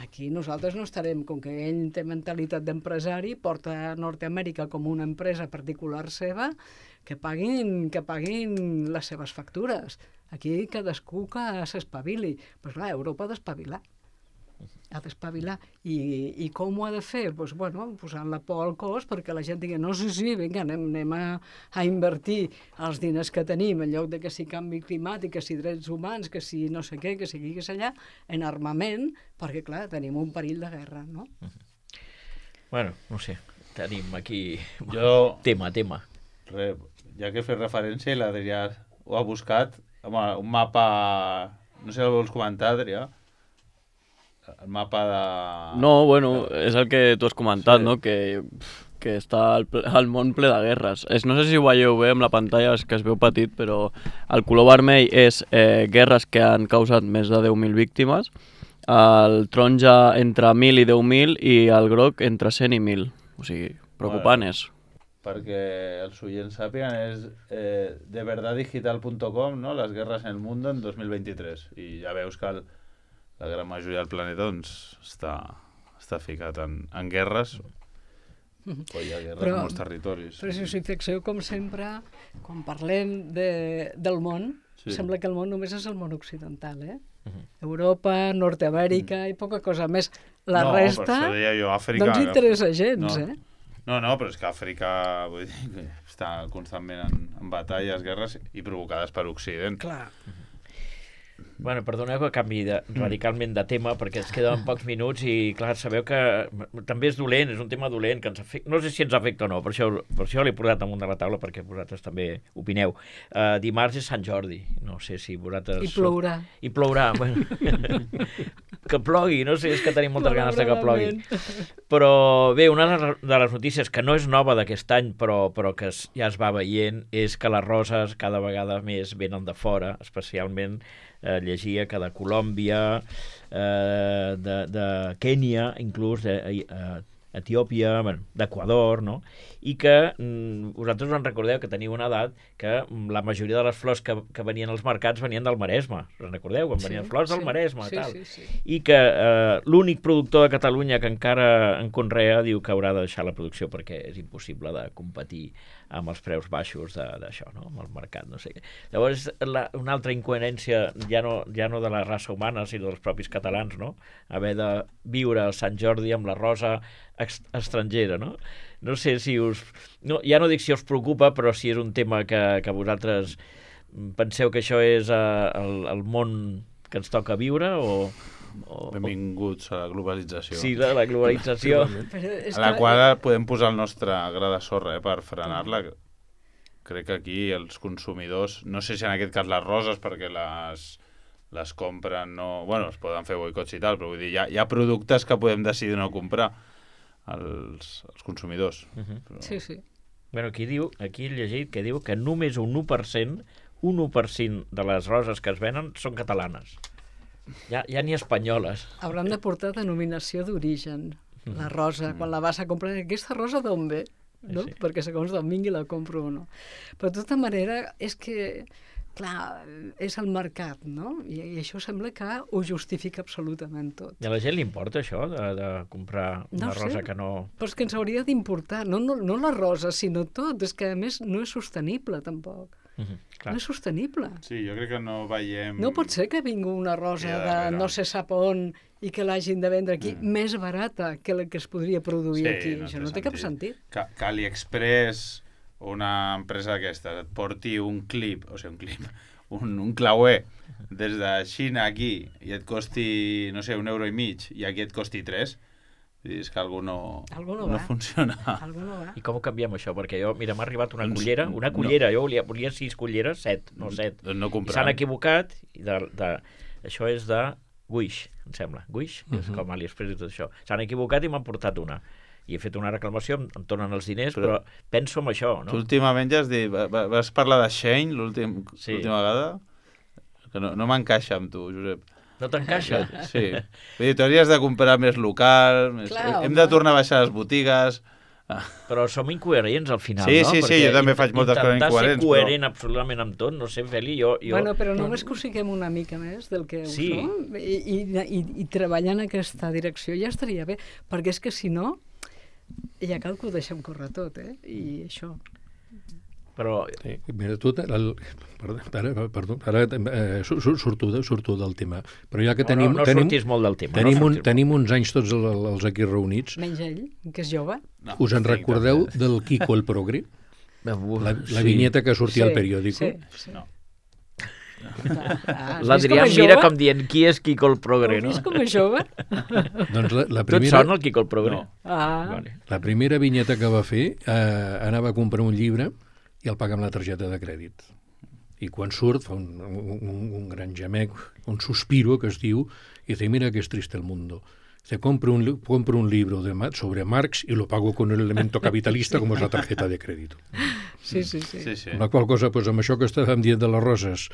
Aquí nosaltres no estarem, com que ell té mentalitat d'empresari, porta Nord-Amèrica com una empresa particular seva, que paguin, que paguin les seves factures. Aquí cadascú que s'espavili. Però clar, Europa ha d'espavilar. Ha d'espavilar. I, I com ho ha de fer? Pues, bueno, posant la por al cos perquè la gent digui, no, sí, sí, vinga, anem, anem a, a invertir els diners que tenim, en lloc de que si canvi climàtic, que si drets humans, que si no sé què, que si aquí, que si allà, en armament, perquè, clar, tenim un perill de guerra, no? Bueno, no sé, tenim aquí Jo, tema, tema. re, ja que he fet referència, i l'Adrià ho ha buscat, home, un mapa, no sé si el vols comentar, Adrià, el mapa de... No, bueno, és el que tu has comentat, Sí. no? Que, que està el, ple- el món ple de guerres. És, no sé si ho veieu bé amb la pantalla, és que es veu petit, però el color vermell és eh, guerres que han causat més de deu mil víctimes, el taronja entre mil i deu mil i el groc entre cent i mil. O sigui, preocupant és. Perquè els oients sàpiguen, és eh, de verdad digital punto com, no? Les guerres en el mundo en dos mil vint-i-tres. I ja veus que el, la gran majoria del planeta doncs, està, està ficat en, en guerres. O hi ha guerres Però- en molts territoris. Però si us hi fixeu, com sempre, quan parlem de, del món, Sí. sembla que el món només és el món occidental, eh? Europa, Nord-Amèrica i poca cosa més. La no, resta per això deia jo, Àfrica, no ens interessa gens, no. eh? No, no, però és que Àfrica vull dir, que està constantment en, en batalles, guerres i provocades per Occident. Clar. Bueno, perdoneu que canvi de, radicalment de tema, perquè ens queden pocs minuts i, clar, sabeu que també és dolent, és un tema dolent, que ens afecta, no sé si ens afecta o no, per això, per això l'he posat damunt de la taula, perquè vosaltres també opineu. Uh, dimarts és Sant Jordi, no sé si vosaltres... I plourà. I plourà, bueno. Que plogui, no sé, és que tenim moltes ganes de que plogui. Però bé, una de les notícies que no és nova d'aquest any, però, però que es, ja es va veient, és que les roses cada vegada més venen de fora, especialment eh, llegia que de Colòmbia, eh, de, de Kènia, inclús, de, eh, Etiòpia, bueno, d'Equador, no? I que mm, vosaltres us en recordeu que teniu una edat que mm, la majoria de les flors que, que venien als mercats venien del Maresme. Us en recordeu? Quan venien Sí, flors del sí, Maresme sí, i tal. sí, sí. I que eh, l'únic productor de Catalunya que encara en conrea diu que haurà de deixar la producció perquè és impossible de competir amb els preus baixos d'això, no? Amb el mercat, no sé què. Llavors, la, una altra incoherència ja no, ja no de la raça humana, sinó dels propis catalans, no? Haver de viure el Sant Jordi amb la rosa ex estrangera, no? No sé si us... No, ja no dic si us preocupa, però si és un tema que, que vosaltres penseu que això és uh, el, el món que ens toca viure o... o Benvinguts a la globalització. Sí, la, la globalització. Però és a la que- qual podem posar el nostre gra de sorra eh, per frenar-la. Crec que aquí els consumidors, no sé si en aquest cas les roses, perquè les, les compren, no... Bueno, es poden fer boicots i tal, però vull dir, hi ha, hi ha productes que podem decidir no comprar els, els consumidors. Uh -huh. Però... Sí, sí. Bueno, aquí diu, aquí he llegit que diu que només un u per cent, un u per cent de les roses que es venen són catalanes. Ja, ja ni espanyoles. Hauran de portar denominació d'origen, la rosa, quan la vas a comprar. Aquesta rosa d'on ve? No? Sí. Perquè segons d'on vingui la compro o no. Però de tota manera, és que, clar, és el mercat, no? I, i això sembla que ho justifica absolutament tot. I a la gent li importa això, de, de comprar una No sé. rosa que no... Però és que ens hauria d'importar, no, no, no la rosa, sinó tot. És que, a més, no és sostenible, tampoc. Uh -huh, clar. No és sostenible. Sí, jo crec que no veiem... No pot ser que vingui una rosa Ja, de darrere. no sé sap on i que l'hagin de vendre aquí mm. més barata que la que es podria produir Sí, aquí. no Això té no té cap sentit. sentit. Que, que AliExpress, una empresa d'aquestes, et porti un clip, o sigui, un clip, un, un clauer des de Xina aquí i et costi, no sé, un euro i mig i aquí et costi tres, és que algú no, Algú no no va. funciona. Algú no va. I com ho canviem, això? Perquè jo, mira, m'ha arribat una Doncs, cullera, una no. cullera, jo volia, volia sis culleres, set, no set. Doncs no I comprant. s'han equivocat, i de, de, això és de Wish, em sembla. Wish, que és Mhm. com AliExpress i tot això. S'han equivocat i m'han portat una. I he fet una reclamació, em, em tornen els diners, però, Però- penso en això, Tu no? últimament ja has dit... va- va- Vas parlar de Shane l'últim- Sí. l'última vegada? Que no, no m'encaixa amb tu, Josep. No t'encaixa? Sí. Vull dir, t'hauries de comprar més local, més... Clar, hem home. de tornar a baixar les botigues... Però som incoherents al final, Sí, no? sí, sí, Perquè jo també int- faig moltes coses intentar incoherents, ser coherent absolutament amb tot, no sé, Feli, jo... jo... Bueno, però només que ho siguem una mica més del que Sí. ho som i, i, i, i treballar en aquesta direcció ja estaria bé, perquè és que si no ja cal que ho deixem córrer tot, eh? I això. Però Sí, mira, tu, el, perdó, ara, perdó, ara eh, sur- sur- surto, de, surto del tema, però ja que no, tenim, no, no tenim, sortis molt del tema. tenim, no un, sortis tenim uns anys tots el- els aquí reunits, Menys ell, que és jove. No, us en tinc recordeu també. del Kiko el Progre? molt. La, la vinyeta que sortia al periòdico? Sí, sí. No. Ah, ah, has L'Adrià vist com mira és com dient qui és Quico el Progre, Has no? vist com és jove? Doncs la, la, Tu et primera, sona el Quico el Progre? No. Ah, Vale. la primera vinyeta que va fer eh, anava a comprar un llibre i el paga amb la targeta de crèdit. I quan surt fa un, un, un gran gemec, un suspiro que es diu, i dice, mira que es triste el mundo. Dice, compro un, li- compro un libro de, Ma- sobre Marx y lo pago con el elemento capitalista como es la tarjeta de crédito. sí, sí, sí. Sí, sí. Amb la qual cosa, doncs, amb això que estàvem dient de les roses,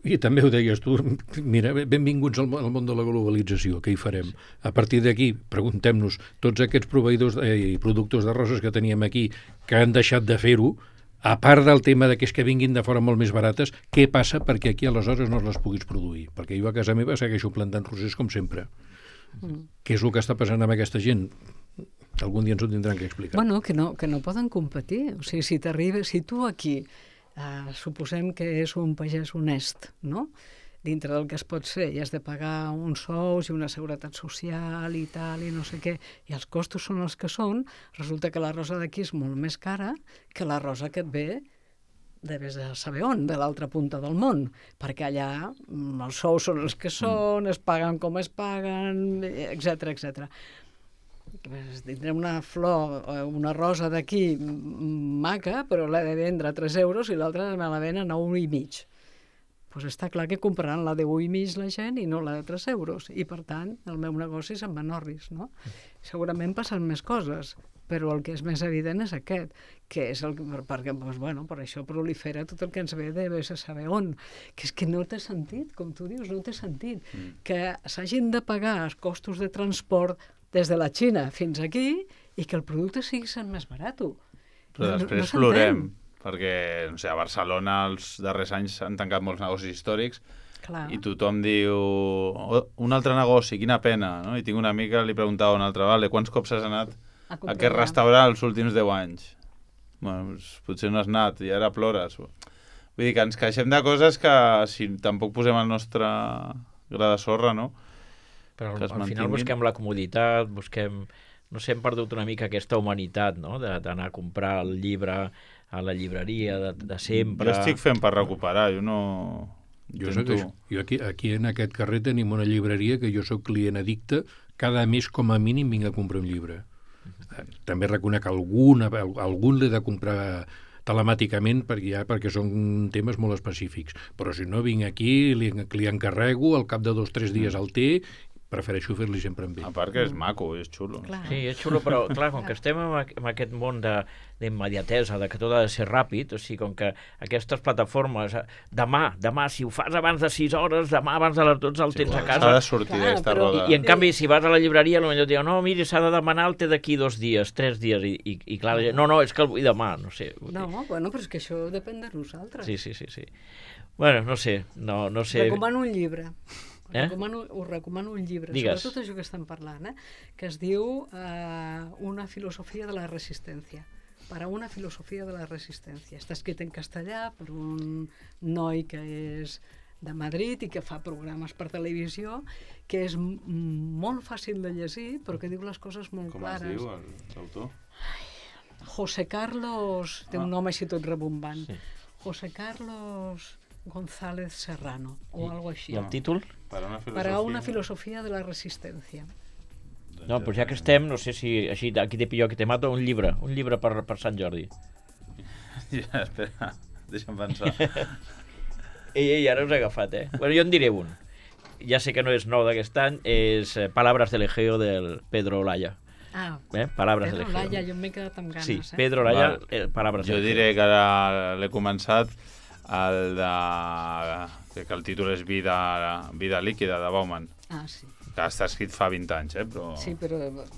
i també ho deies tu, mira, benvinguts al, mo- al món de la globalització, què hi farem? A partir d'aquí, preguntem-nos, tots aquests proveïdors eh, i productors de roses que teníem aquí, que han deixat de fer-ho, a part del tema de que és que vinguin de fora molt més barates, què passa perquè aquí aleshores no les puguis produir? Perquè jo a casa meva segueixo plantant rosers com sempre. Mm. Què és el que està passant amb aquesta gent? Algun dia ens ho tindran que explicar. Bueno, que no, que no poden competir. O sigui, si t'arriba, si tu aquí eh, suposem que és un pagès honest, no? Dintre del que es pot ser, i has de pagar uns sous i una seguretat social i tal, i no sé què, i els costos són els que són, resulta que la rosa d'aquí és molt més cara que la rosa que et ve de vés a saber on, de l'altra punta del món, perquè allà mm, els sous són els que són, es paguen com es paguen, etcètera, etcètera. Tindrem una flor, eh, una rosa d'aquí mm, maca, però l'he de vendre a tres euros i l'altra me la ven a nou i mig. Pues està clar que compraran la de u i mig la gent i no la de tres euros. I, per tant, el meu negoci se'n va en orris, no? Segurament passen més coses, però el que és més evident és aquest, que és el que, perquè, doncs, bueno, per això prolifera tot el que ens ve de vés a saber on, que és que no té sentit, com tu dius, no té sentit, mm. que s'hagin de pagar els costos de transport des de la Xina fins aquí i que el producte sigui sent més barat. Però després s'entén. plorem, perquè no sé, a Barcelona els darrers anys s'han tancat molts negocis històrics Clar. i tothom diu oh, un altre negoci, quina pena, no? I tinc una amiga, li preguntava un altre, vale, quants cops has anat A a comprar. aquest restaurant els últims deu anys? Bueno, doncs, potser no has anat i ara plores. Vull dir que ens queixem de coses que si tampoc posem el nostre gra de sorra, no? Però Que al, es al final mantinguin. busquem la comoditat, busquem... No sé, hem perdut una mica aquesta humanitat, no?, de- d'anar a comprar el llibre a la llibreria de, de sempre. Jo estic fent per recuperar, jo no... Jo, intento- segueixo. jo aquí, aquí en aquest carrer tenim una llibreria que jo sóc client addicte, cada mes com a mínim vinc a comprar un llibre. També reconec algun, algun l'he de comprar telemàticament perquè, ja, perquè són temes molt específics. Però si no vinc aquí, li, li encarrego, al cap de dos o tres dies el té, prefereixo fer-li sempre amb ell. A part que és maco, és xulo. Clar. Sí, és xulo, però clar, com que estem en, aqu- en aquest món de- d'immediatesa, de, de que tot ha de ser ràpid, o sigui, com que aquestes plataformes, eh, demà, demà, si ho fas abans de sis hores, demà abans de les dotze el tens a S'ha casa, de sortir Clar, d'aquesta però- roda. i, i en canvi si vas a la llibreria potser et diuen, no, miri, s'ha de demanar el té d'aquí dos dies, tres dies, i, i, i clar, la gent, no, no, és que el vull demà, no sé. vull dir. No, bueno, però és que això depèn de nosaltres. Sí, sí, sí, sí. Bueno, no sé, no, no sé... Recomano un llibre. Eh? Recomano, us recomano un llibre, Digues. sobre tot això que estem parlant, eh? que es diu eh, Una filosofia de la resistència. Para una filosofia de la resistència. Està escrit en castellà per un noi que és de Madrid i que fa programes per televisió, que és m- molt fàcil de llegir, però que diu les coses molt Com es clares. diu el- l'autor? José Carlos, té Ah. un nom així tot rebombant. Sí. José Carlos González Serrano, o algo així. I el títol? Per una filosofia. Para una filosofia de la resistència. No, doncs ja que estem, no sé si així aquí te pillo, aquí te mato, un llibre, un llibre per, per Sant Jordi. Ja, espera, deixa'm pensar. Ei, ei, ara us he agafat, eh? Bueno, jo en diré un. ja sé que no és nou d'aquest any, és eh, Palabras del Egeo del Pedro Olaya. Ah, Eh? Palabras Pedro del Egeo. Olaya, jo m'he quedat amb ganes, Sí, eh? Pedro Olaya, Val. eh, Palabras Jo del Egeo. diré que ara l'he començat, el de... que el títol és Vida, Vida líquida, de Bauman, Ah, sí. que està escrit fa vint anys, eh? Però, Sí, però...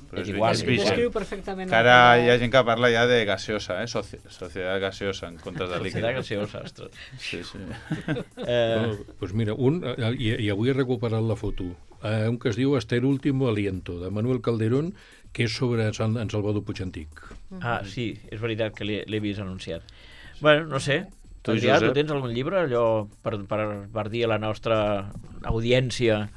però és igual, és és vigent. Descriu perfectament... Que ara hi ha gent que parla ja de gaseosa, eh? Soci Societat gaseosa, en comptes de líquida. Societat gaseosa, ostres. Sí, sí. Eh, Bueno, pues mira, un, eh, i, i avui he recuperat la foto, eh, un que es diu Hasta el último aliento, de Manuel Calderón, que és sobre en Sal- en Salvador Puigantic. ah, sí, és veritat que l'he l'he vist anunciat. Bueno, no sé, Tu, Adrià, tu Josep? tens algun llibre allò per, per, per dir a la nostra audiència?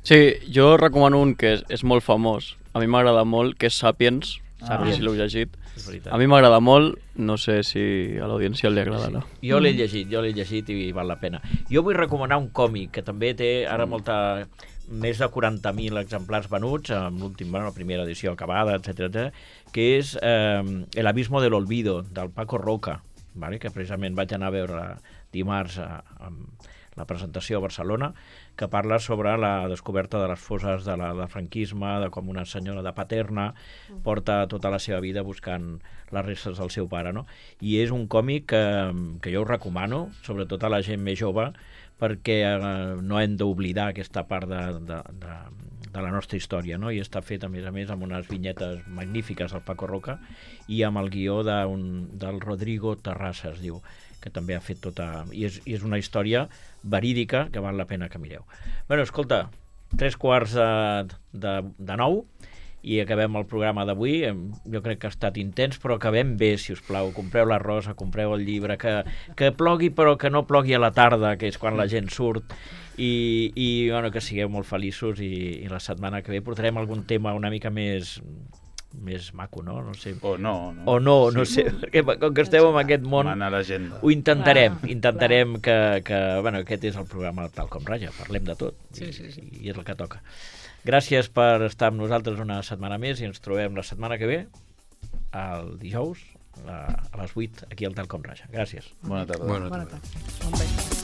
Sí, jo recomano un que és, és molt famós, a mi m'agrada molt, que és Sapiens, Ah. no sé si l'heu llegit. És veritat. A mi m'agrada molt, no sé si a l'audiència li agradarà. Jo l'he llegit, jo l'he llegit i val la pena. Jo vull recomanar un còmic que també té ara molta... més de quaranta mil exemplars venuts, amb l'últim, bueno, la primera edició acabada, etcètera, que és eh, El abismo del olvido, del Paco Roca, vale? Que precisament vaig anar a veure dimarts a, a la presentació a Barcelona, que parla sobre la descoberta de les fosses de la, del franquisme, de com una senyora de Paterna porta tota la seva vida buscant les restes del seu pare, no? I és un còmic que, que jo us recomano, sobretot a la gent més jove, perquè eh, no hem d'oblidar aquesta part de, de, de, de la nostra història, no? I està fet, a més a més, amb unes vinyetes magnífiques del Paco Roca i amb el guió d'un, del Rodrigo Terrassa, es diu, que també ha fet tota... I és, i és una història verídica que val la pena que mireu. Bueno, escolta, tres quarts de, de, de nou i acabem el programa d'avui. Jo crec que ha estat intens, però acabem bé, si us plau. Compreu la rosa, compreu el llibre, que, que plogui però que no plogui a la tarda, que és quan la gent surt, i, i bueno, que sigueu molt feliços i, i la setmana que ve portarem algun tema una mica més més maco, no? No sé. O no, no. O no, no sé, perquè com que esteu en aquest món Mana l'agenda. ho intentarem, Clar, intentarem que, que, bueno, aquest és el programa tal com raja, parlem de tot, Sí, i, sí, sí. i és el que toca. Gràcies per estar amb nosaltres una setmana més i ens trobem la setmana que ve, el dijous, a, a les vuit, aquí al Tal com raja. Gràcies. Bona tarda. Bona Bona tarda. tarda. Bon vespre.